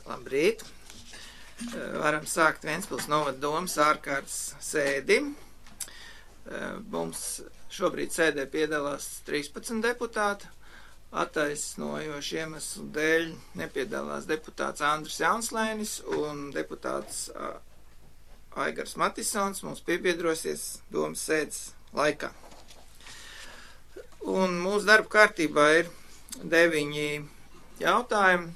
Labrīt! Varam sākt Ventspils novada domas ārkārtas sēdi. Mums šobrīd sēdē piedalās 13 deputāti. Attaisnojoši iemeslu dēļ nepiedalās deputāts Andris Jaunslēnis un deputāts Aigars Matisons mums piebiedrosies domas sēdes laikā. Un mūsu darba kārtībā ir 9 jautājumi.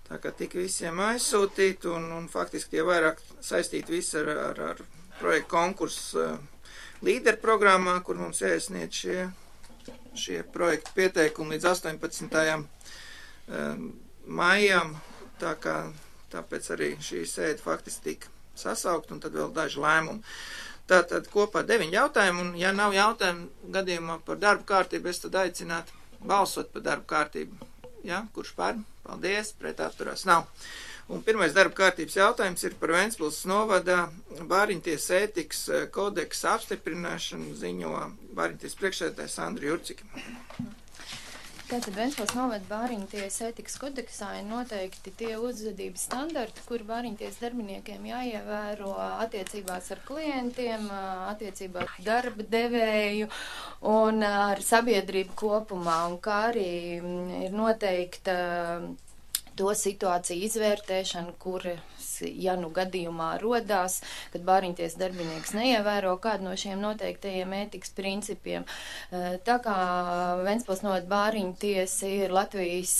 Tā kā tika visiem aizsūtīti un faktiski tie vairāk saistīti visi ar projektu konkursu līderu programmā, kur mums jāiesniedz šie projektu pieteikumi līdz 18. maijam. Tāpēc arī šī sēde faktiski tika sasaukt un tad vēl daži lēmumi. Tātad kopā 9 jautājumi, un ja nav jautājumu gadījumā par darbu kārtību, es tad aicinātu balsot par darbu kārtību. Ja? Kurš par? Paldies, pret atturās nav. Un pirmais darba kārtības jautājums ir par Ventspils novada Bāriņtiesas ētikas kodeksa apstiprināšanu, ziņo Bāriņtiesas priekšsēdētājs Sandra Jurcika. Tātad Ventspils novada Bāriņtiesas ētikas kodeksā ir noteikti tie uzvedības standarti, kuri Bāriņtiesas darbiniekiem jāievēro attiecībās ar klientiem, attiecībā ar darba devēju un ar sabiedrību kopumā, un kā arī ir noteikta to situāciju izvērtēšana, ja nu gadījumā rodās, kad Bāriņtiesas darbinieks neievēro kādu no šiem noteiktajiem ētikas principiem. Tā kā Ventspils novada Bāriņtiesa ir Latvijas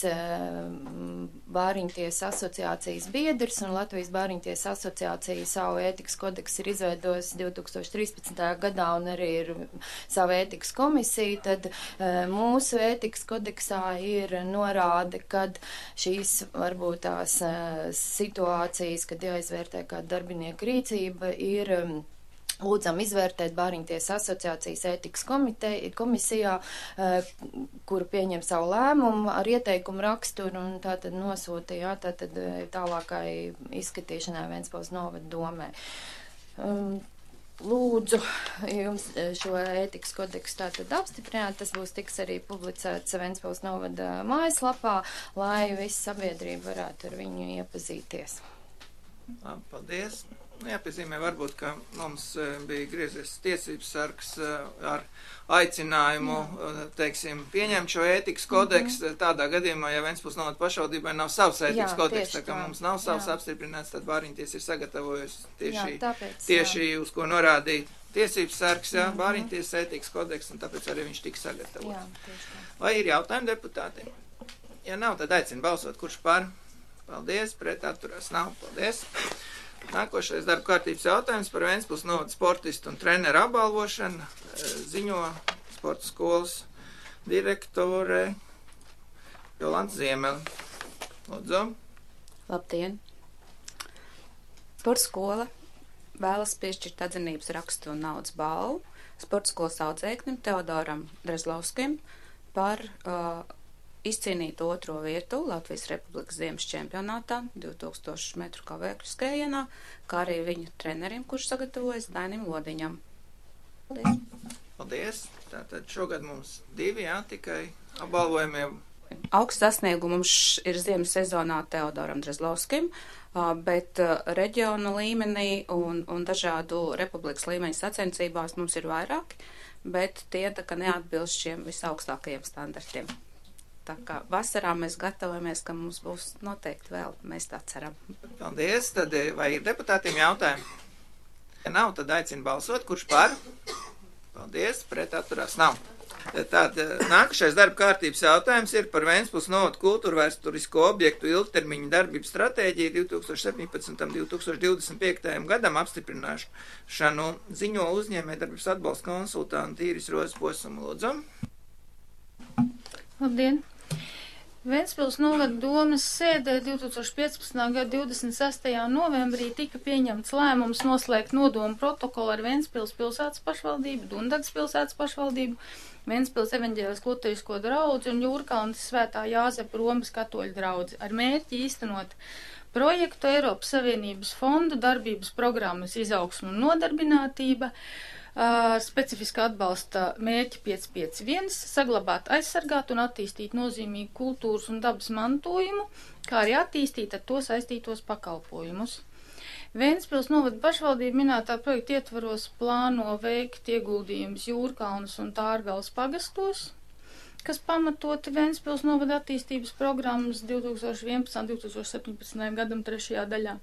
Bāriņtiesas asociācijas biedrs, un Latvijas Bāriņtiesas asociācija savu ētikas kodeksu ir izveidojusi 2013. gadā, un arī ir savu ētikas komisiju, tad mūsu ētikas kodeksā ir norāde, kad šīs varbūt tās situācijas, kad jāizvērtē kāda darbinieka rīcība, ir lūdzam izvērtēt Bāriņtiesas asociācijas ētikas komisijā, kuru pieņem savu lēmumu ar ieteikumu raksturu un tātad nosūta, tātad tālākai izskatīšanai Ventspils novada domē. Lūdzu jums šo ētikas kodeksu tātad apstiprināt, tas tiks arī publicēts Ventspils novada mājaslapā, lai visa sabiedrība varētu ar viņu iepazīties. Labi, paldies. Jāpiezīmē varbūt, ka mums bija griezies tiesības sargs ar aicinājumu, teiksim, pieņemt šo ētikas kodeksu. Tādā gadījumā, ja Ventspils novada pašvaldībai nav savs ētikas kodeks, tā kā mums nav savs apstiprināts, tad Bāriņtiesa ir sagatavojusi tieši uz ko norādīt tiesības sargs, Bāriņtiesas ētikas kodeks, un tāpēc arī viņš tika sagatavots. Vai ir jautājumi deputātiem? Ja nav, tad aicinu balsot, kurš par? Paldies, pret atturās nav. Paldies. Nākošais darba kārtības jautājums par Ventspils novada sportistu un treneru apbalvošanu, ziņo sporta skolas direktore Jolanta Ziemele. Lūdzu. Labdien! Sporta skola vēlas piešķirt atzinības rakstu un naudas balvu sporta skolas audzēknim Teodoram Drezlovskim par izcīnīt 2. vietu Latvijas Republikas ziemas čempionātā 2000 metru kavēkļu skrējienā, kā arī viņu trenerim, kurš sagatavojas Dainim Lodiņam. Paldies! Paldies! Tātad šogad mums 2, tikai apbalvojumie. Augsts sasniegums ir ziemas sezonā Teodoram Drezlovskim, bet reģionu līmenī un dažādu republikas līmeņa sacensībās mums ir vairāki, bet tie tā kā neatbilst šiem visaugstākajiem standartiem. Tā kā vasarā mēs gatavojamies, ka mums būs noteikti vēl, mēs tā ceram. Paldies, tad vai ir deputātiem jautājumi? Ja nav, tad aicinu balsot, kurš par? Paldies, pret atturās nav. Tad nākošais darba kārtības jautājums ir par Ventspils novada kultūrvēsturisko objektu ilgtermiņa darbības stratēģiju 2017. 2025. gadam apstiprināšanu, ziņo uzņēmējdarbības atbalsta konsultanti Īris Rozes Posumu. Lūdzu. Labdien! Ventspils novada domas sēdē 2015. gada 26. novembrī tika pieņemts lēmums noslēgt nodomu protokolu ar Ventspils pilsētas pašvaldību, Dundagas pilsētas pašvaldību, Ventspils evaņģēlisko luterisko draudzi un Jūrkalnes Svētā Jāzepa Romas katoļu draudzi ar mērķi īstenot projektu Eiropas Savienības fondu darbības programmas izaugsmu un nodarbinātība, specifiska atbalsta mērķi 551, saglabāt, aizsargāt un attīstīt nozīmīgu kultūras un dabas mantojumu, kā arī attīstīt ar to saistītos pakalpojumus. Ventspils novada pašvaldība minētā projekta ietvaros plāno veikt ieguldījumus Jūrkalnas un Tārgales pagastos, kas pamatoti Ventspils novada attīstības programmas 2011.–2017. gadam 3. daļā.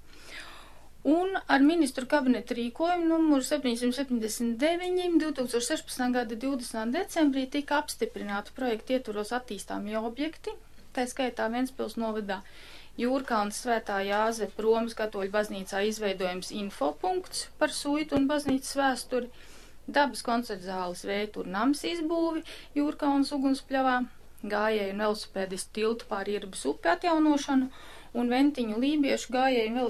Un ar ministru kabineta rīkojumu numuru 779 2016. gada 20. decembrī tika apstiprināti projekta ietvaros attīstāmie objekti, tā skaitā Ventspils novadā Jūrkalnas Svētā Jāzepa Romas katoļu baznīcā izveidojams infopunkts par suitu un baznīcas vēsturi, dabas koncertzāles Vēturu nams izbūvi Jūrkalnas ugunspļavā, gājēju un velosipēdistu tiltu pāri Irbas upi atjaunošanu un Ventiņu lībiešu gājēju un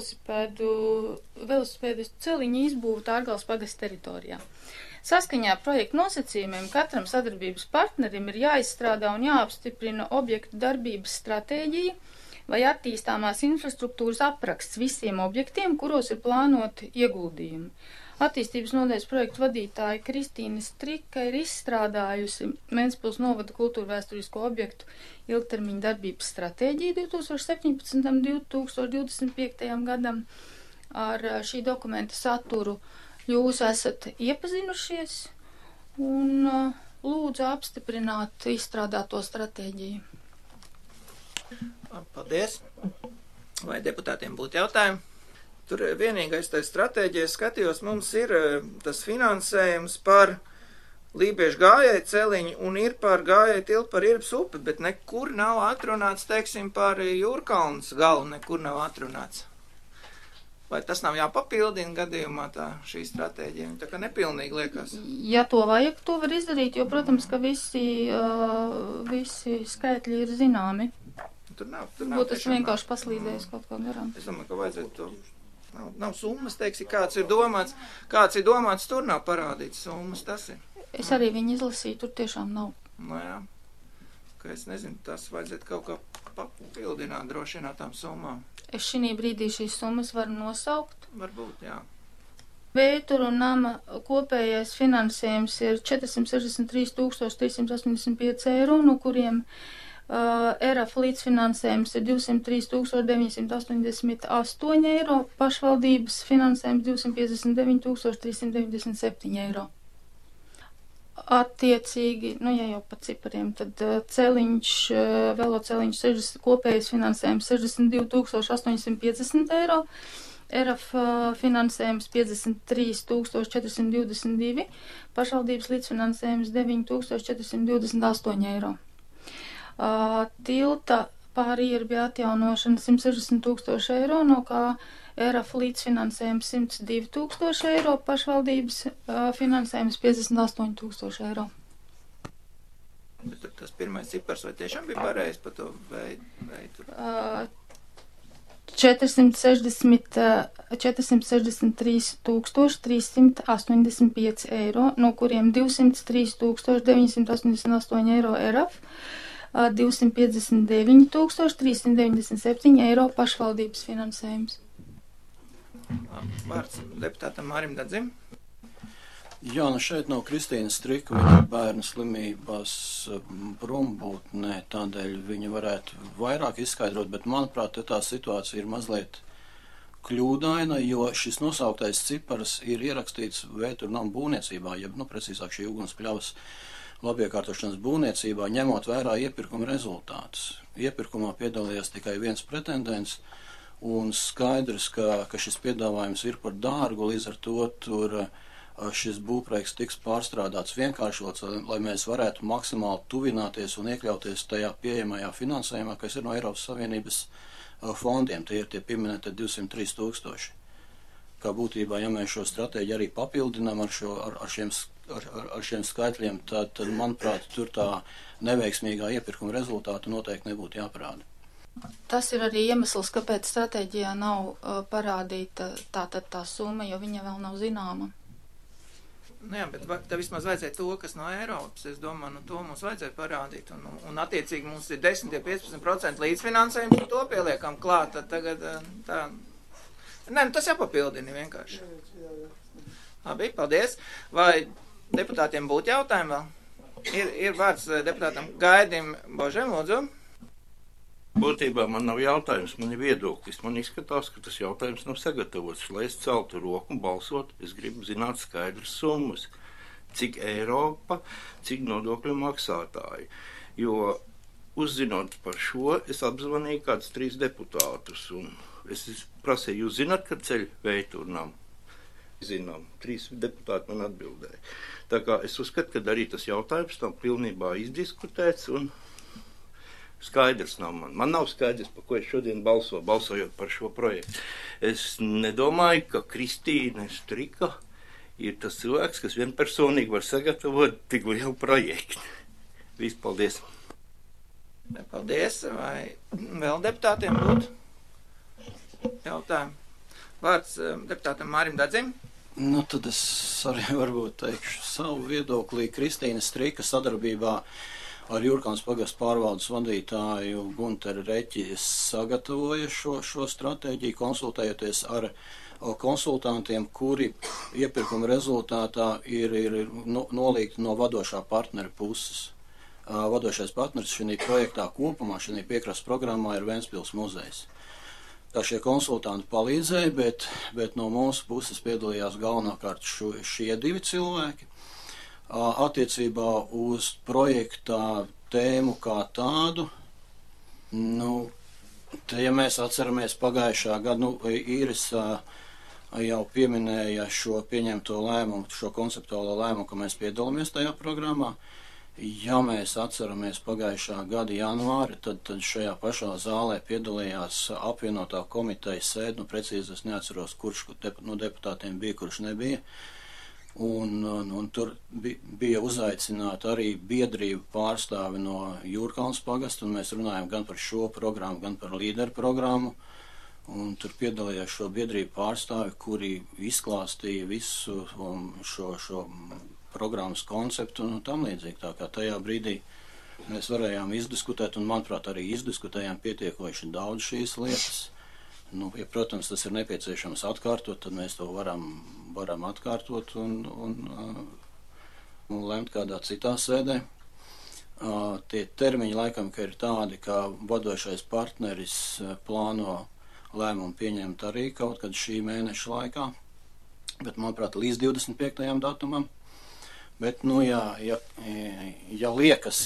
velosipēdistu celiņu izbūvi Tārgales pagasta teritorijā. Saskaņā ar projektu nosacījumiem katram sadarbības partnerim ir jāizstrādā un jāapstiprina objektu darbības stratēģija vai attīstāmās infrastruktūras apraksts visiem objektiem, kuros ir plānoti ieguldījumi. Attīstības nodaļas projektu vadītāja Kristīna Strika ir izstrādājusi Ventspils novada kultūrvēsturisko objektu ilgtermiņa darbības stratēģiju 2017. 2025. gadam. Ar šī dokumenta saturu jūs esat iepazinušies un lūdzu apstiprināt izstrādāto stratēģiju. Paldies. Vai deputātiem būtu jautājumi? Tur vienīgais tā stratēģija skatījos, mums ir tas finansējums par lībiešu gājēju celiņu un ir par gājēju tiltu par Irbas upi, bet nekur nav atrunāts, teiksim, par Jūrkalnas galu, nekur nav atrunāts. Vai tas nav jāpapildina gadījumā tā šī stratēģija? Tā kā nepilnīgi liekas. Ja to vajag, to var izdarīt, jo, protams, ka visi skaitļi ir zināmi. Tur nav būtu es vienkārši paslīdējis kaut kā garām. Es domāju, ka vajadzētu to. Nav summas, teiksim, kāds ir domāts, tur nav parādīts summas, tas ir. Es arī viņu izlasīju, tur tiešām nav. Nu jā, ka es nezinu, tas vajadzētu kaut kā papildināt droši vien tām summām. Es šī brīdī šīs summas varu nosaukt. Varbūt, jā. Vēturu un nama kopējais finansējums ir 463 385 eiro, no kuriem ERAF līdzfinansējums ir 203 988 eiro, pašvaldības finansējums 259 397 eiro. Attiecīgi, ja jau pa cipariem, tad veloceliņš kopējais finansējums 62 850 eiro, ERAF finansējums 53 422, pašvaldības līdzfinansējums 9 428 eiro. Tilta pāri Irbi atjaunošana 160 000 eiro, no kā ERAF līdzfinansējums 102 000 eiro, pašvaldības finansējums 58 000 eiro. Bet tas pirmais cipars vai tiešām bija pareizi par to veidu? 463 385 eiro, no kuriem 203 988 eiro ERAF, 259 397 eiro pašvaldības finansējums. Vārds deputātam Mārim Dadzim. Jā, šeit nav Kristīnas Strika, viņa bērnu slimībās prombūtnē, tādēļ viņa varētu vairāk izskaidrot, bet manuprāt, tā situācija ir mazliet kļūdaina, jo šis nosauktais cipars ir ierakstīts Vēturu namu būvniecībā, precīzāk šī ugunspļavas labiekārtošanas būvniecībā, ņemot vērā iepirkuma rezultātus. Iepirkumā piedalījās tikai viens pretendents, un skaidrs, ka šis piedāvājums ir par dārgu, līdz ar to tur šis būvprojekts tiks pārstrādāts vienkāršots, lai mēs varētu maksimāli tuvināties un iekļauties tajā pieejamajā finansējumā, kas ir no Eiropas Savienības fondiem. Tie ir tie pieminēti 203 000. Kā būtībā, ja mēs šo stratēģiju arī papildinām ar šiem skaitļiem, tad, manuprāt, tur tā neveiksmīgā iepirkuma rezultātu noteikti nebūtu jāparāda. Tas ir arī iemesls, kāpēc stratēģijā nav parādīta tā summa, jo viņa vēl nav zināma. Jā, bet tā vismaz vajadzēja to, kas no Eiropas, es domāju, to mums vajadzēja parādīt, un attiecīgi mums ir 10–15% līdzfinansējums, un to pieliekam klāt, tad tagad tā. Nē, tas jāpapildina vienkārši. Labi, paldies. Vai deputātiem būtu jautājumi vēl? Ir vārds deputātam Gaidim Božem, lūdzu. Būtībā man nav jautājums, man ir viedoklis. Man izskatās, ka tas jautājums nav sagatavots. Lai es celtu roku un balsot, es gribu zināt skaidras summas. Cik Eiropa, cik nodokļu maksātāji. Jo uzzinot par šo, es apzvanīju kādus 3 deputātus. Un es prasīju, jūs zināt, ka ceļ Veiturnam? Zinām, 3 deputāti man atbildēja. Tā kā es uzskatu, ka arī tas jautājums nav pilnībā izdiskutēts un skaidrs nav man. Man nav skaidrs, par ko es šodien balsojot par šo projektu. Es nedomāju, ka Kristīne Strika ir tas cilvēks, kas vienpersonīgi var sagatavot tik lielu projektu. Viss, paldies. Paldies. Vai vēl deputātiem būtu jautājumi? Vārds deputātam Mārim Dadzim. Nu, tad es arī varbūt teikšu savu viedoklī. Kristīna Strika sadarbībā ar Jūrkāns pagastu pārvaldes vadītāju Gunteru Reķi sagatavoja šo stratēģiju, konsultējoties ar konsultantiem, kuri iepirkuma rezultātā ir nolīgti no vadošā partnera puses. Vadošais partners šī projektā kopumā, šī piekrastes programmā ir Ventspils muzejs. Tā šie konsultanti palīdzēja, bet no mūsu puses piedalījās galvenokārt šie 2 cilvēki. Attiecībā uz projektā tēmu kā tādu, ja mēs atceramies pagājušā gada, Īris jau pieminēja šo pieņemto lēmumu, šo konceptuālo lēmumu, ka mēs piedalāmies tajā programmā. Ja mēs atceramies pagājušā gada janvāri, tad šajā pašā zālē piedalījās apvienotā komiteja sēde, precīzi es neatceros, kurš no deputātiem bija, kurš nebija. Un tur bija uzaicināti arī biedrību pārstāvi no Jūrkāns pagasta, un mēs runājam gan par šo programmu, gan par līderu programmu. Un tur piedalījās šo biedrību pārstāvi, kuri izklāstīja visu šo programmas konceptu un tam līdzīgi. Tā kā tajā brīdī mēs varējām izdiskutēt, un manuprāt arī izdiskutējām pietiekoši daudz šīs lietas. Ja, protams, tas ir nepieciešams atkārtot, tad mēs to varam atkārtot un lemt kādā citā sēdē. Tie termiņi laikam, ka ir tādi, ka vadošais partneris plāno lēmumu pieņemt arī kaut kad šī mēneša laikā, bet, manuprāt, līdz 25. datumam. Bet,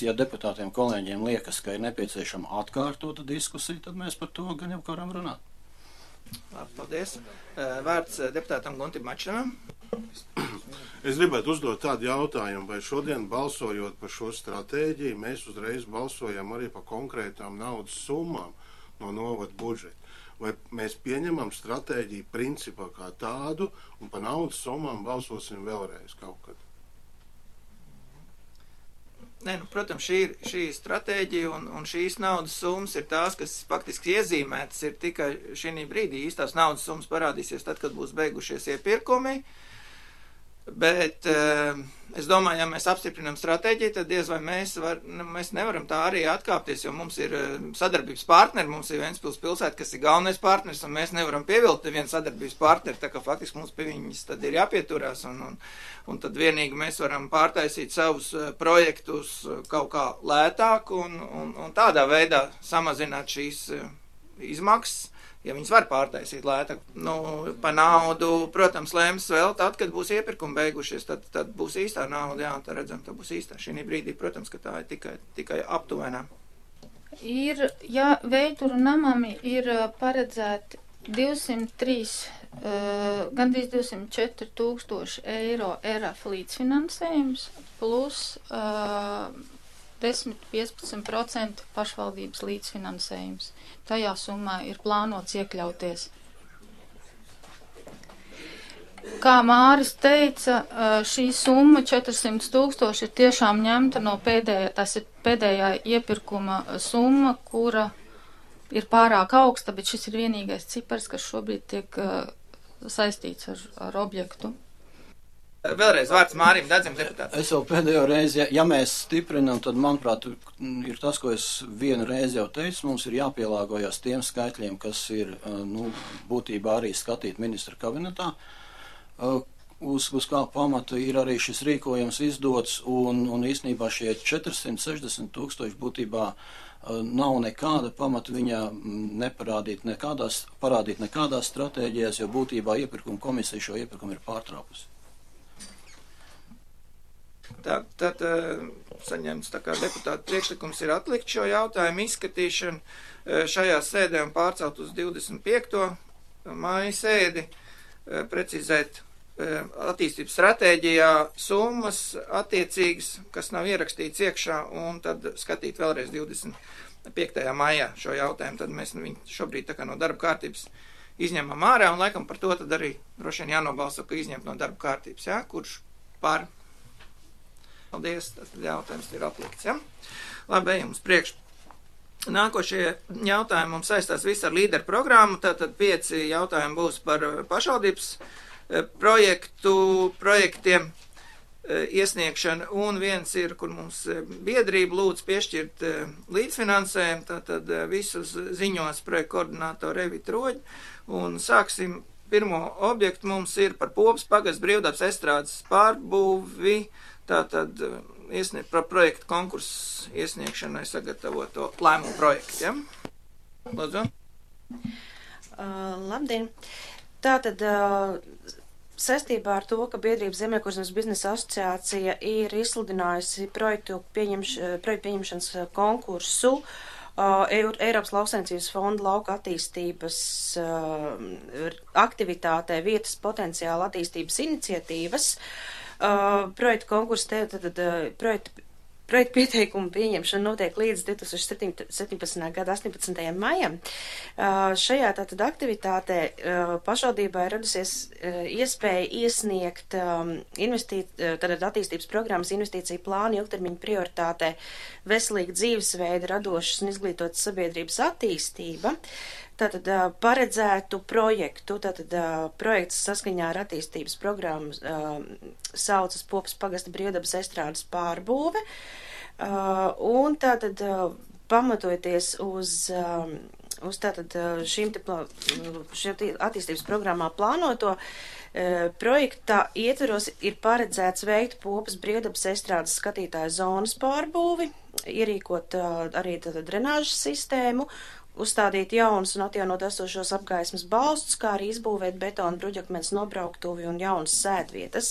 ja deputātiem kolēģiem liekas, ka ir nepieciešama atkārtota diskusija, tad mēs par to gan jau varam runāt. Paldies. Vārds deputātam Guntim Mačanam. Es gribētu uzdot tādu jautājumu, vai šodien balsojot par šo stratēģiju, mēs uzreiz balsojam arī par konkrētām naudas summām no novada budžeta. Vai mēs pieņemam stratēģiju principā kā tādu un par naudas summām balsosim vēlreiz kaut kad? Protams, šī stratēģija un šīs naudas summas ir tās, kas faktiski iezīmētas ir tikai šī brīdī. Īstās naudas summas parādīsies tad, kad būs beigušies iepirkumi. Bet es domāju, ja mēs apstiprinām stratēģiju, tad diez vai mēs nevaram tā arī atkāpties, jo mums ir sadarbības partneri, mums ir Ventspils pilsēta, kas ir galvenais partners, un mēs nevaram pievilkt nevienu sadarbības partneri, tā kā faktiski mums pie viņas tad ir jāpieturās, un tad vienīgi mēs varam pārtaisīt savus projektus kaut kā lētāk un tādā veidā samazināt šīs izmaksas. Ja viņas var pārtaisīt lētāk, pa naudu, protams, lēms vēl tad, kad būs iepirkumi beigušies, tad būs īstā nauda, jā, tā redzam, tā būs īstā. Šī brīdī, protams, ka tā ir tikai aptuvenā. Veituru namam ir paredzēti 203, gandrīz 204 000 eiro ERAF līdzfinansējums plus 10–15% pašvaldības līdzfinansējums. Tajā summā ir plānots iekļauties. Kā Māris teica, šī summa 400 000 ir tiešām ņemta no pēdējā iepirkuma summa, kura ir pārāk augsta, bet šis ir vienīgais cipars, kas šobrīd tiek saistīts ar objektu. Vēlreiz vārds Mārim Dadzim, deputātam. Es jau pēdējo reizi, ja mēs stiprinam, tad, manuprāt, ir tas, ko es vienu reizi jau teicu, mums ir jāpielāgojas tiem skaitļiem, kas ir, būtībā arī skatīt ministra kabinetā. uz kā pamata ir arī šis rīkojums izdots, un īstenībā šie 460 000 būtībā nav nekāda pamata viņā parādīt nekādās stratēģijās, jo būtībā iepirkuma komisija šo iepirkumu ir pārtraukusi. Tad saņemts tā kā deputāta priekšlikums ir atlikt šo jautājumu izskatīšanu šajā sēdē un pārcelt uz 25. maija sēdi, precizēt attīstības stratēģijā summas attiecīgas, kas nav ierakstīts iekšā, un tad skatīt vēlreiz 25. maijā šo jautājumu. Tad mēs viņu šobrīd tā kā no darba kārtības izņemam ārā, un laikam par to tad arī droši vien jānobalso, ka izņemt no darba kārtības, jā? Kurš par? Paldies, tas jautājums ir atlikts, jā? Labi, ejam uz priekšu. Nākošie jautājumi mums saistās visi ar līderu programmu, tātad 5 jautājumi būs par pašvaldības projektiem iesniegšana, un viens ir, kur mums biedrība lūdz piešķirt līdzfinansējumu, tātad visus ziņos projektu koordinātoru Evita Roģi, un sāksim. Pirmo objektu mums ir par Popas pagasts brīvdabas estrādes pārbūvi, tātad par projektu konkursu iesniegšanai sagatavoto lēmumu projektu, ja? Lūdzu. Labdien! Tātad saistībā ar to, ka biedrība Zemniekošanas biznesa asociācija ir izsludinājusi projektu pieņemšanas konkursu Eiropas lauksaimniecības fonda lauka attīstības aktivitātē vietas potenciāla attīstības iniciatīvas. Projektu konkursu projektu pieteikumu pieņemšana notiek līdz 2017. gada 18. maijam. Šajā tātad aktivitātē pašvaldībā ir radusies iespēja iesniegt tātad attīstības programmas investīciju plānu ilgtermiņa prioritātē veselīga dzīvesveida, radošas un izglītotas sabiedrības attīstība. Tātad paredzētu projektu, projekts saskaņā ar attīstības programmu saucas Popas pagasta brīvdabas estrādes pārbūve, un tātad pamatojoties uz šīm attīstības programmā plānoto projekta ietveros ir paredzēts veikt Popas brīvdabas estrādes skatītāju zonas pārbūvi, ierīkot arī drenāžas sistēmu, uzstādīt jaunus un atjaunot esošos apgaismas balstus, kā arī izbūvēt betona bruģakmens nobrauktuvi un jaunas sēdvietas.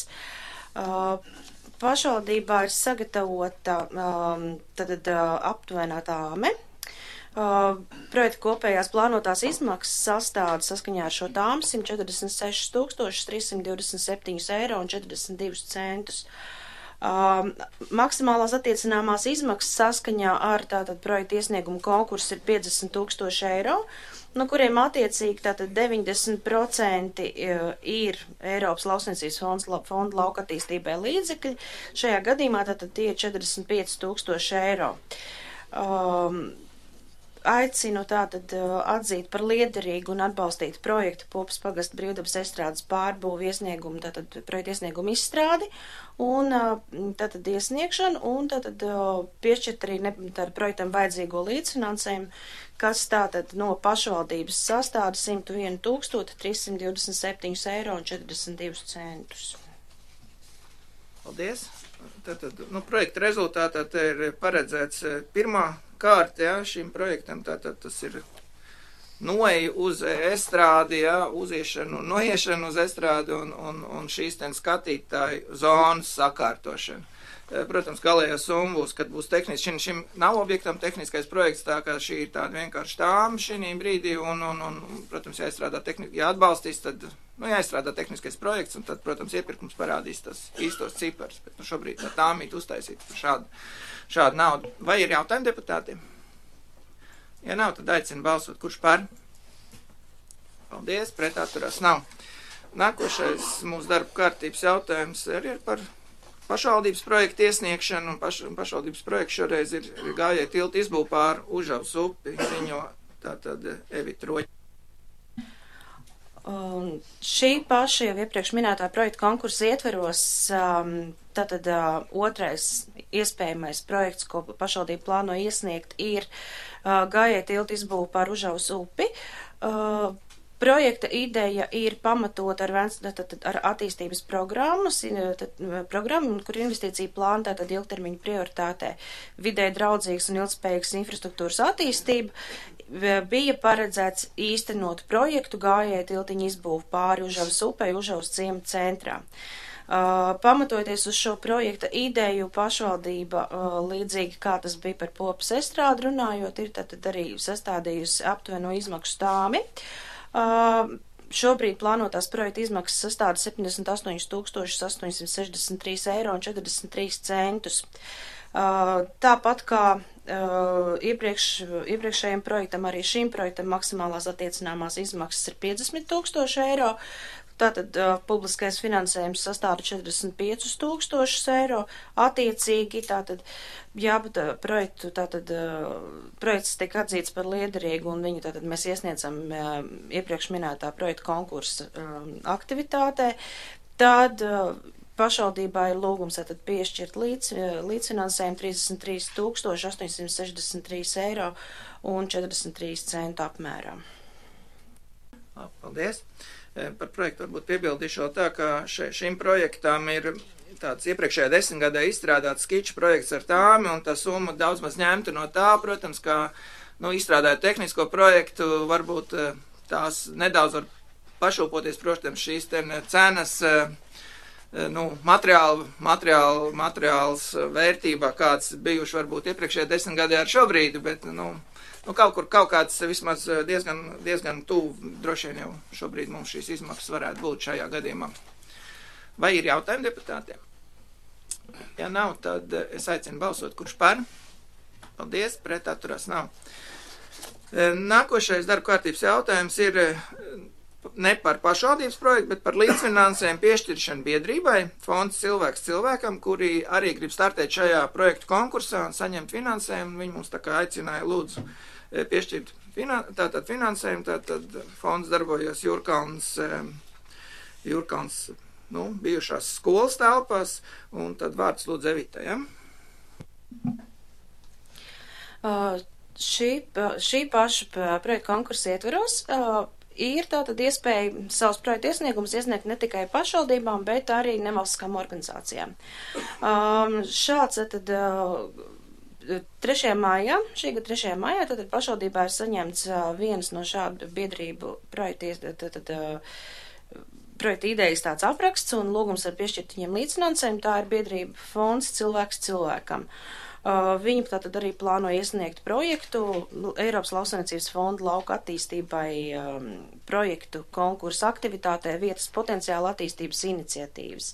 Pašvaldībā ir sagatavota aptuvenā tāme. Projekta kopējās plānotās izmaksas sastāda saskaņā ar šo tāmu 146 327 eiro un 42 centus. Maksimālās attiecināmās izmaksas saskaņā ar tātad projekta iesniegumu konkursu ir 50 000 eiro, no kuriem attiecīgi tātad 90% ir Eiropas lauksaimniecības fonda lauka attīstībai līdzekļi. Šajā gadījumā tātad tie ir 45 000 eiro. Aicinu tātad atzīt par liederīgu un atbalstīt projektu Popas pagasta brīvdabas estrādes pārbūvu iesniegumu, tātad projektu iesniegumu izstrādi un tātad iesniegšanu un tātad piešķirt arī projektam vajadzīgo līdzfinansējumu, kas tātad no pašvaldības sastāda 101 327 eiro un 42 centus. Paldies! Tātad, projekta rezultātā te ir paredzēts pirmā kārta, jā, šim projektam, tātad tas ir noeja uz estrādi, jā, uziešanu un noiešanu uz estrādi un šīs ten skatītāju zonas sakārtošana. Protams, galējā summa būs, kad būs tehniski, šim nav objektam tehniskais projekts, tā kā šī ir tāda vienkārši tāma šī brīdī un protams, jāizstrādā jāatbalstīs, tad, jāizstrādā tehniskais projekts un tad, protams, iepirkums parādīs tas īstos cipars, bet šobrīd tā tāmīt uztaisīt par šādu naudu. Vai ir jautājumi deputātiem? Ja nav, tad aicinu balsot, kurš par? Paldies, pret atturās nav. Nākošais mūsu darba kārtības jautājums arī ir par pašvaldības projektu iesniegšanu, un pašvaldības projekts šoreiz ir gājēja tilta izbūve pār Užavas upi, ziņo tātad Evita Roģi. Šī paša jau iepriekš minētā projekta konkursa ietveros, tātad otrais iespējamais projekts, ko pašvaldība plāno iesniegt, ir gājēja tilta izbūve pār Užavas upi. Projekta ideja ir pamatot ar attīstības programmu, kur investīcija plāna tātad ilgtermiņa prioritātē vidē draudzīgas un ilgspējīgas infrastruktūras attīstība. Bija paredzēts īstenot projektu gājēju tiltiņu izbūvu pāri Užavas upei, Užavas ciema centrā. Pamatojoties uz šo projekta ideju, pašvaldība, līdzīgi kā tas bija par Popas estrādi runājot, ir tātad arī sastādījusi aptuveno izmaksu stāmi. Šobrīd plānotās projekta izmaksas sastāda 78,863,43 €. Tāpat kā iepriekšējiem projektam, arī šīm projektam maksimālās attiecināmās izmaksas ir 50,000 €. Tātad publiskais finansējums sastāda 45,000 €. Attiecīgi, tātad, projekts tiek atzīts par liederīgu, un viņu tātad mēs iesniedzam iepriekš minētā projekta konkursa aktivitātē. Tad pašvaldībā ir lūgums tātad piešķirt līdzfinansējumu 33,863 €43 apmērā. Paldies! Par projektu varbūt piebildīšu vēl tā, ka šim projektam ir tāds iepriekšējā 10 gadē izstrādāts skiču projekts ar tāmi, un tā summa daudz maz ņemta no tā, protams, kā, izstrādājot tehnisko projektu, varbūt tās nedaudz var pašūpoties, protams, šīs cenas, materiāls vērtībā, kāds bijuši varbūt iepriekšējā 10 gadē ar šobrīd, bet, kaut kāds vismaz diezgan tuvu, droši vien jau šobrīd mums šīs izmaksas varētu būt šajā gadījumā. Vai ir jautājumi deputātiem? Ja nav, tad es aicinu balsot, kurš par. Paldies, pret atturās nav. Nākošais darba kārtības jautājums ir ne par pašvaldības projektu, bet par līdzfinansējumu piešķiršanu biedrībai, fonds Cilvēks cilvēkam, kuri arī grib startēt šajā projektu konkursā un saņemt finansējumu. Viņi mums tā kā aicināja lūdzu piešķirt finansējumu, tātad fonds darbojas Jūrkalns, bijušās skolas telpās, un tad vārds lūdzu Evitai, ja? Šī paša projekta konkursa ietveros ir tātad iespēja savus projektu iesniegumus iesniegt ne tikai pašvaldībām, bet arī nevalstiskām organizācijām. Šāds tad 3. maijā, šī gada 3. maijā, tad pašvaldībā ir saņemts viens no šādu biedrību projekta idejas tāds apraksts un lūgums ar piešķirt viņiem līdzfinansējumu. Tā ir biedrība fonds Cilvēks cilvēkam. Viņi tātad arī plāno iesniegt projektu Eiropas lauksaimniecības fonda lauka attīstībai projektu konkursa aktivitātē vietas potenciāla attīstības iniciatīvas.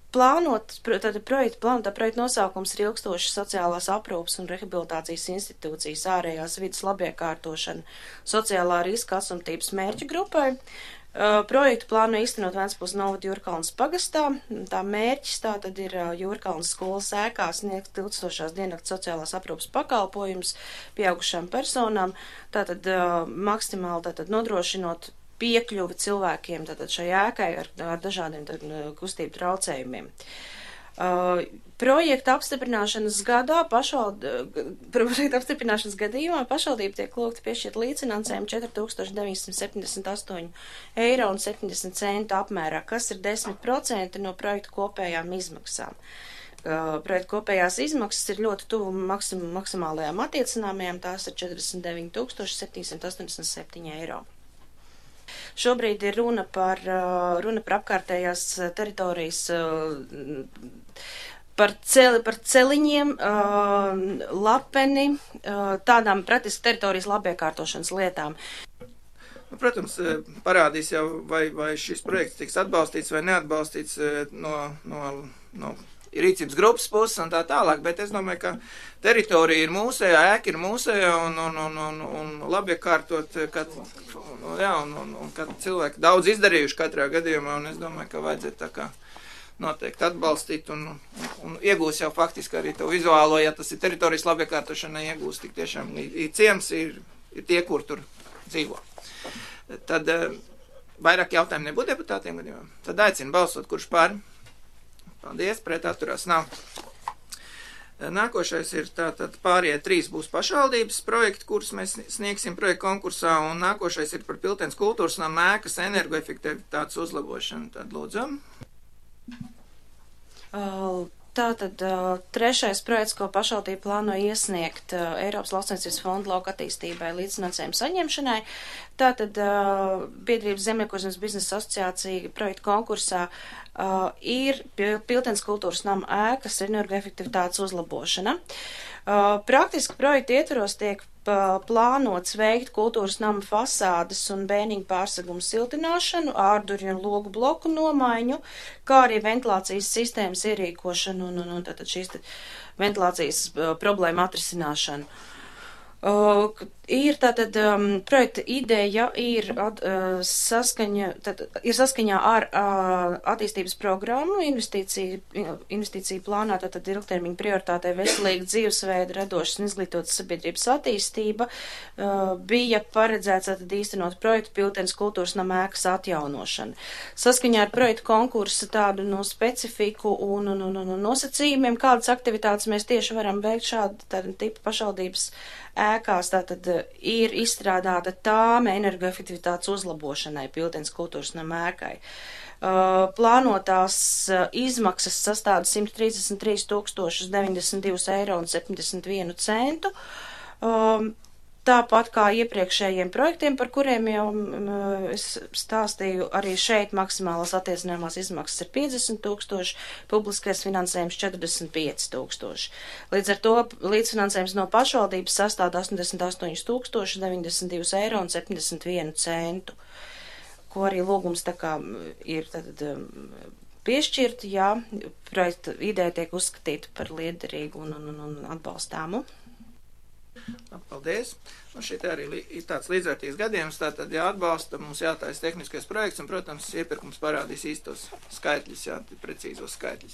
Plānotā projekta nosaukums ir ilgstošas sociālās aprūpes un rehabilitācijas institūcijas ārējās vidas labiekārtošana sociālā riska atstumtības mērķu grupai. Projektu plāno īstenot Ventspils novada Jūrkalnas pagastā. Tā mērķis tātad ir Jūrkalnas skolas ēkā sniegt 1000 diennakts sociālās aprūpes pakalpojumus pieaugušām personām, tātad maksimāli nodrošinot piekļuvi cilvēkiem tātad šai ēkai ar dažādiem kustību traucējumiem. Projekta apstiprināšanas gadījumā pašvaldība tiek lūgta piešķirt līdzfinansējumu 4,978,70 € apmērā, kas ir 10% no projekta kopējām izmaksām. Projekta kopējās izmaksas ir ļoti tuvu maksimālajām attiecināmajām, tās ir 49,787 €. Šobrīd ir runa par apkārtējās teritorijas, par celiņiem, lapeni, tādām praktiski teritorijas labiekārtošanas lietām. Protams, parādīs jau, vai šis projekts tiks atbalstīts vai neatbalstīts no rīcības grupas puses un tā tālāk, bet es domāju, ka teritorija ir mūsējā, ēka ir mūsējā un labi iekārtot, kad cilvēki daudz izdarījuši katrā gadījumā, un es domāju, ka vajadzētu tā kā noteikti atbalstīt un iegūs jau faktiski arī to vizuālo, ja tas ir teritorijas labi iekārtošana, iegūs tik tiešām ciems ir tie, kur tur dzīvo. Tad vairāk jautājumu nebūtu deputātiem gadījumā. Tad aicinu balsot, kurš par. Paldies, pret atturās nav. Nākošais ir tātad pārējie 3 būs pašvaldības projekti, kurus mēs sniegsim projektu konkursā, un nākošais ir par Piltens kultūras nama ēkas energoefektivitātes uzlabošanu. Tad lūdzu. Tātad 3. projekts, ko pašvaldība plāno iesniegt Eiropas Lauksaimniecības fonda lauka attīstībai līdzfinansējuma saņemšanai. Tātad biedrības Zemniekošanas biznesa asociācija projektu konkursā ir Piltens kultūras nama ēkas energoefektivitātes uzlabošana. Praktiski projektu ietvaros tiek plānots veikt kultūras nama fasādes un bēniņu pārsegumu siltināšanu, ārdurju un logu bloku nomaiņu, kā arī ventilācijas sistēmas ierīkošanu un tātad šīs ventilācijas problēma atrisināšanu. Ir tātad projekta ideja ir saskaņā ar attīstības programmu investīciju plānā, tātad ilgtermiņa prioritātei veselīga dzīvesveida, radošas un izglītotas sabiedrības attīstība, bija paredzēts tātad īstenot projektu Piltens kultūras nama ēkas atjaunošana. Saskaņā ar projektu konkursa tādu specifiku un nosacījumiem, kādas aktivitātes mēs tieši varam veikt tādu tipu pašvaldības ēkās, tātad ir izstrādāta tāme energoefektivitātes uzlabošanai Piltens kultūras nama ēkai. Plānotās izmaksas sastāda 133 092,71 €. Tāpat kā iepriekšējiem projektiem, par kuriem jau es stāstīju, arī šeit maksimālās attiecinājumās izmaksas ir 50 000, publiskais finansējums 45 000. Līdz ar to līdzfinansējums no pašvaldības sastāda 88 092,71 €, ko arī lūgums tā kā ir tad piešķirt, ja projekta ideja tiek uzskatīta par liederīgu un atbalstāmu. Paldies. Un šeit arī ir tāds līdzvērtīgs gadījums, tātad jāatbalsta, mums jātaisa tehniskais projekts, un, protams, iepirkums parādīs īstos skaitļus, precīzos skaitļus.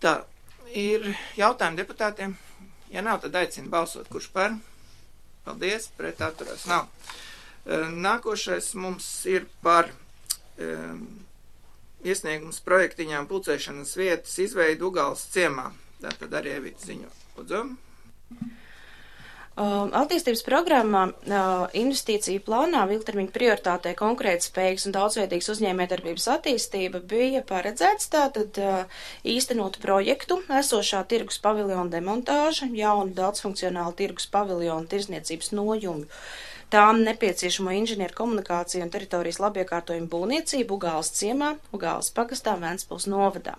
Tā, ir jautājumi deputātiem? Ja nav, tad aicinu balsot, kurš par? Paldies, pret atturās nav. Nākošais mums ir par iesniegums projektiņām pulcēšanas vietas izveidu Ugāles ciemā. Tātad arī Evita ziņo. Lūdzu. Attīstības programmā investīciju plānā ilgtermiņa prioritātei konkurētspējīgas un daudzveidīgas uzņēmējdarbības attīstība bija paredzēts tātad īstenot projektu esošā tirgus paviljona demontāža, jaunu daudzfunkcionālu tirgus paviljonu tirzniecības nojumju, tām nepieciešamo inženieru komunikāciju un teritorijas labiekārtojumu būvniecību Ugāles ciemā, Ugāles pagastā, Ventspils novadā.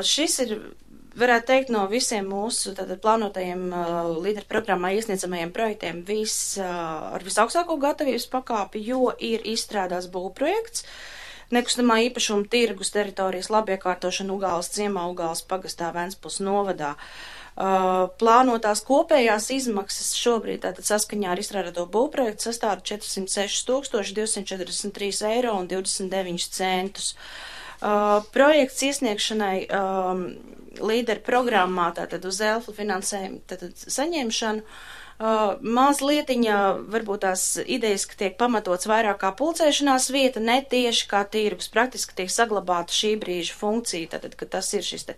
Šis ir, varētu teikt, no visiem mūsu plānotajiem līderu programmā iesniedzamajiem projektiem ar visaugstāko gatavības pakāpi, jo ir izstrādāts būvprojekts, nekustamā īpašuma tirgus teritorijas labiekārtošana Ugāles ciemā, Ugāles pagastā, Ventspils novadā. Plānotās kopējās izmaksas šobrīd tātad saskaņā ar izstrādāto būvprojektu sastāda 406 243,29 €. Projekts iesniegšanai līderu programmā, tātad uz ELFA finansējumu saņemšanu, mazlietiņa varbūt tās idejas, ka tiek pamatots vairāk kā pulcēšanās vieta, ne tieši kā tirgus, praktiski tiek saglabāta šī brīža funkcija, tātad, ka tas ir šis tā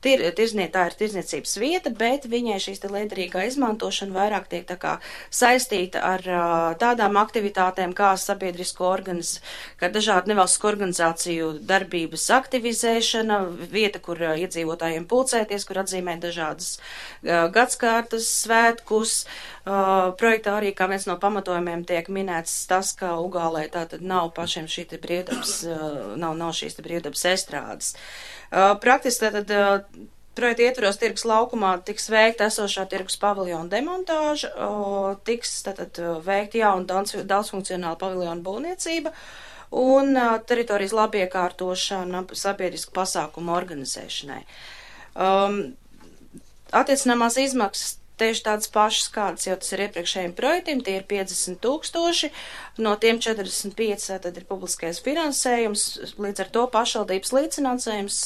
ir tirzniecības vieta, bet viņai šīs liederīgā izmantošana vairāk tiek tā kā saistīta ar tādām aktivitātēm kā sabiedrisko kā dažādu nevalstisko organizāciju darbības aktivizēšana, vieta, kur iedzīvotājiem pulcēties, kur atzīmēt dažādas gadskārtas, svētkus. Projektā arī kā viens no pamatojumiem tiek minēts tas, ka Ugālē tātad nav pašiem šī te brīvdabas, nav šīs te brīvdabas estrādes. Praktiski tātad projekta ietvaros tirgus laukumā tiks veikta esošā tirgus paviljona demontāža, tiks tātad veikta jauna daudzfunkcionāla paviljona būvniecība un teritorijas labiekārtošana sabiedrisku pasākumu organizēšanai. Attiecināmās izmaksas tieši tādas pašas, kādas jau tas ir iepriekšējiem projektiem, tie ir 50 000, no tiem 45 tad ir publiskais finansējums, līdz ar to pašvaldības līdzfinansējums,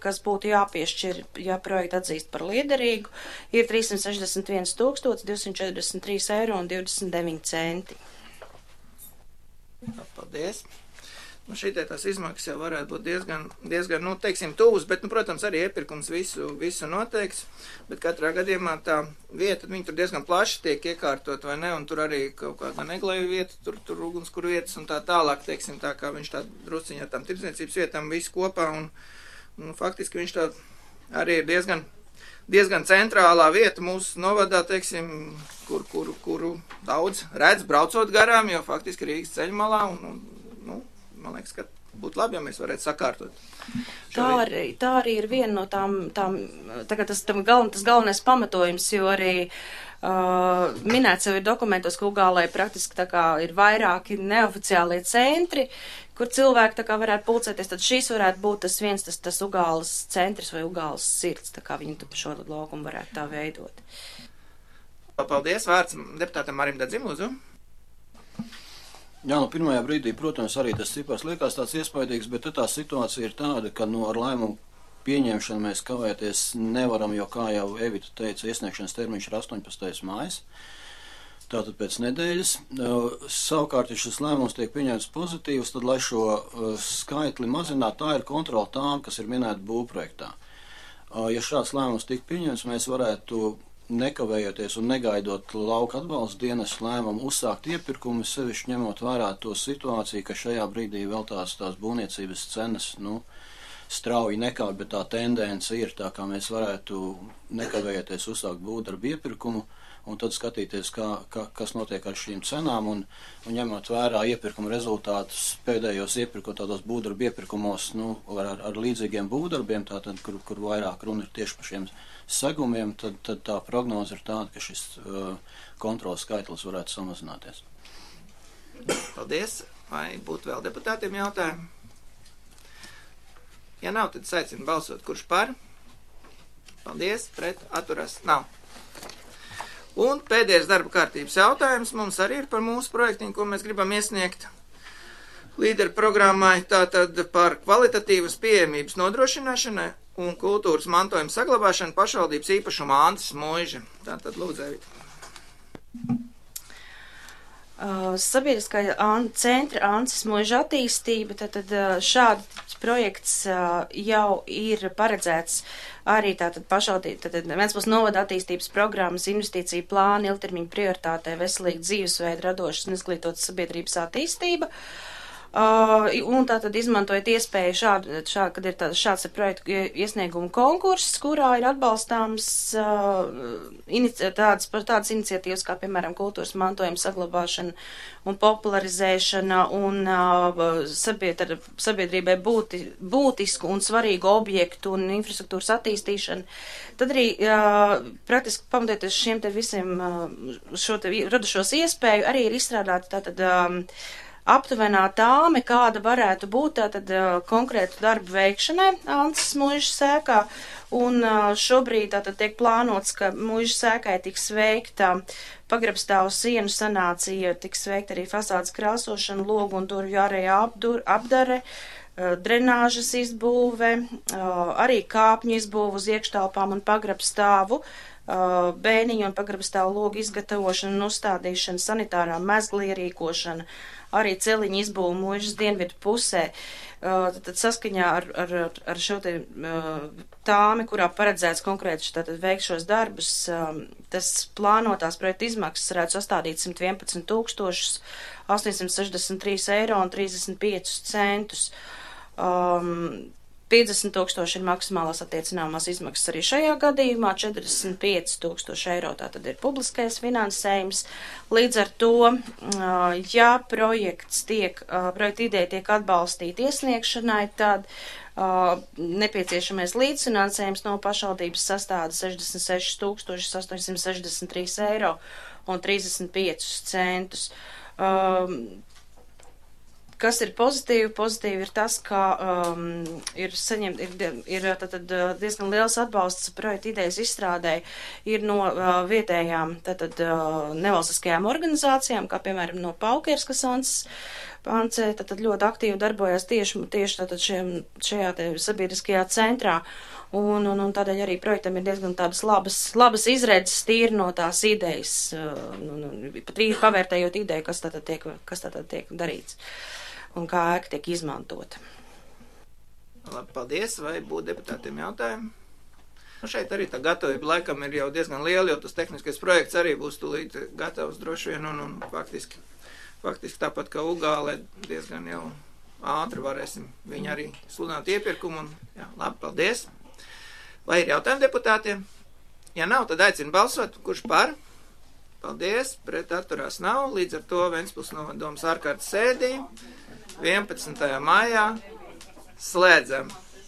kas būtu jāpiešķir, ja projektu atzīst par liederīgu, ir 361 243,29 €. Paldies. Nu, šitie tās izmaksas jau varētu būt diezgan, nu, teiksim, tuvas, bet, nu, protams, arī iepirkums visu noteikts, bet katrā gadījumā tā vieta, viņi tur diezgan plaši tiek iekārtot, vai ne, un tur arī kaut kāda neglēju vieta, tur ugunskura vietas un tā tālāk, teiksim, tā kā viņš tā drusciņā tām tirdzniecības vietām visu kopā, un faktiski viņš tā arī ir diezgan centrālā vieta mūsu novadā, teiksim, kuru daudz redz braucot garām, jo faktiski Rīgas ceļmalā, un nu, man liekas, ka būtu labi, ja mēs varētu sakārtot. Tā arī ir viena no tām tagad tas galvenais pamatojums, jo arī minēts jau ir dokumentos, ka Ugālē praktiski tā kā ir vairāki neoficiālie centri, kur cilvēki tā kā varētu pulcēties, tad šīs varētu būt tas Ugāles centrs vai Ugāles sirds, tā kā viņi tu pa šo laukumu varētu tā veidot. Paldies, vārds deputātam Marim Dadzim, lūdzu. Jā, nu pirmajā brīdī, protams, arī tas cipars liekas tāds iespaidīgs, bet tā situācija ir tāda, ka ar lēmumu pieņemšanu mēs kavēties nevaram, jo, kā jau Evita teica, iesniegšanas termiņš ir 18. mājas, tātad pēc nedēļas. Savukārt, ja šis lēmums tiek pieņemts pozitīvs, tad, lai šo skaitli mazinātu, tā ir kontrola tām, kas ir minēta būvprojektā. Ja šāds lēmums tik pieņemts, mēs varētu nekavējoties un negaidot lauka atbalsta dienas lēmumu uzsākt iepirkumu, sevišķi ņemot vērā to situāciju, ka šajā brīdī vēl tās būvniecības cenas, strauji nekāp, bet tā tendence ir tā, kā mēs varētu nekavējoties uzsākt būvdarbu iepirkumu un tad skatīties, kas notiek ar šīm cenām un ņemot vērā iepirkuma rezultātus pēdējos tādos būvdarbu iepirkumos, ar līdzīgiem būvdarbiem, tātad, kur vairāk runa ir tieši par šiem segumiem, tad tā prognoze ir tāda, ka šis kontrolas skaitlis varētu samazināties. Paldies. Vai būtu vēl deputātiem jautājumi? Ja nav, tad aicinu balsot. Kurš par? Paldies. Pret? Atturās? Nav. Un pēdējais darba kārtības jautājums mums arī ir par mūsu projektiņu, ko mēs gribam iesniegt līderu programmai, tātad par kvalitatīvas pieejamības nodrošināšanai un kultūras mantojuma saglabāšanu pašvaldības īpašuma Ances Muiža. Tātad lūdzu, Evita. Sabiedriskā centra Ances Muiža attīstība, tad šāds projekts jau ir paredzēts arī tātad pašvaldība, tad Ventspils novada attīstības programmas investīciju plāna ilgtermiņa prioritātē veselīga dzīvesveida radošas un izglītotas sabiedrības attīstība. Un tātad izmantojot iespēju kad ir šāds projektu iesniegumu konkurss, kurā ir atbalstāms tādas iniciatīvas, kā piemēram kultūras mantojuma saglabāšana un popularizēšana un sabiedrībai būtisku un svarīgu objektu un infrastruktūras attīstīšana. Tad arī praktiski pamatoties šiem te visiem šo te radušos iespēju, arī ir izstrādāta tātad aptuvenā tāme, kāda varētu būt tātad konkrētu darbu veikšanai Ances Muižas sēkā, un šobrīd tātad tiek plānots, ka Muižas sēkai tiks veikta pagrabstāvu sienu sanācija, tiks veikta arī fasādes krāsošana, logu un durvju ārējā apdare, drenāžas izbūve, arī kāpņu izbūve uz iekštelpām un pagrabstāvu, bēniņu un pagrabstāvu logu izgatavošana un uzstādīšana, sanitārā mezgla ierīkošana, arī celiņu izbūve Muižas dienvidu pusē. Tad saskaņā ar šo te tāmi, kurā paredzēts konkrēti tātad veikt šos darbus, tas plānotās projekta izmaksas varētu sastādīt 111 863 eiro un 35 centus. 50 000 ir maksimālās attiecināmās izmaksas arī šajā gadījumā, 45 000 eiro tātad ir publiskais finansējums. Līdz ar to, ja projekta ideja tiek atbalstīta iesniegšanai, tad nepieciešamais līdzfinansējums no pašvaldības sastāda 66 863 eiro un 35 centus. Kas ir pozitīvi? Pozitīvi ir tas, ka ir diezgan liels atbalsts projekta idejas izstrādē ir no vietējām nevalstiskajām organizācijām, kā piemēram no Paukers, kas Ancē ļoti aktīvi darbojas tieši šajā sabiedriskajā centrā. Un tādēļ arī projektam ir diezgan tādas labas izredzes tīri no tās idejas, pat pavērtējot ideju, kas tātad tiek darīts. un kā ēka tiek izmantota. Labi, paldies, vai būtu deputātiem jautājumi? Nu, šeit arī tā gatavība laikam ir jau diezgan liela, jo tas tehniskais projekts arī būs tūlīt gatavs droši vien, un faktiski tāpat kā Ugālē diezgan jau ātri varēsim viņu arī sludināt iepirkumu, un jā, labi, paldies. Vai ir jautājumi deputātiem? Ja nav, tad aicinu balsot, kurš par? Paldies, pret atturās nav, līdz ar to Ventspils novada domas ārkārtas sēdī 11. maijā slēdzam.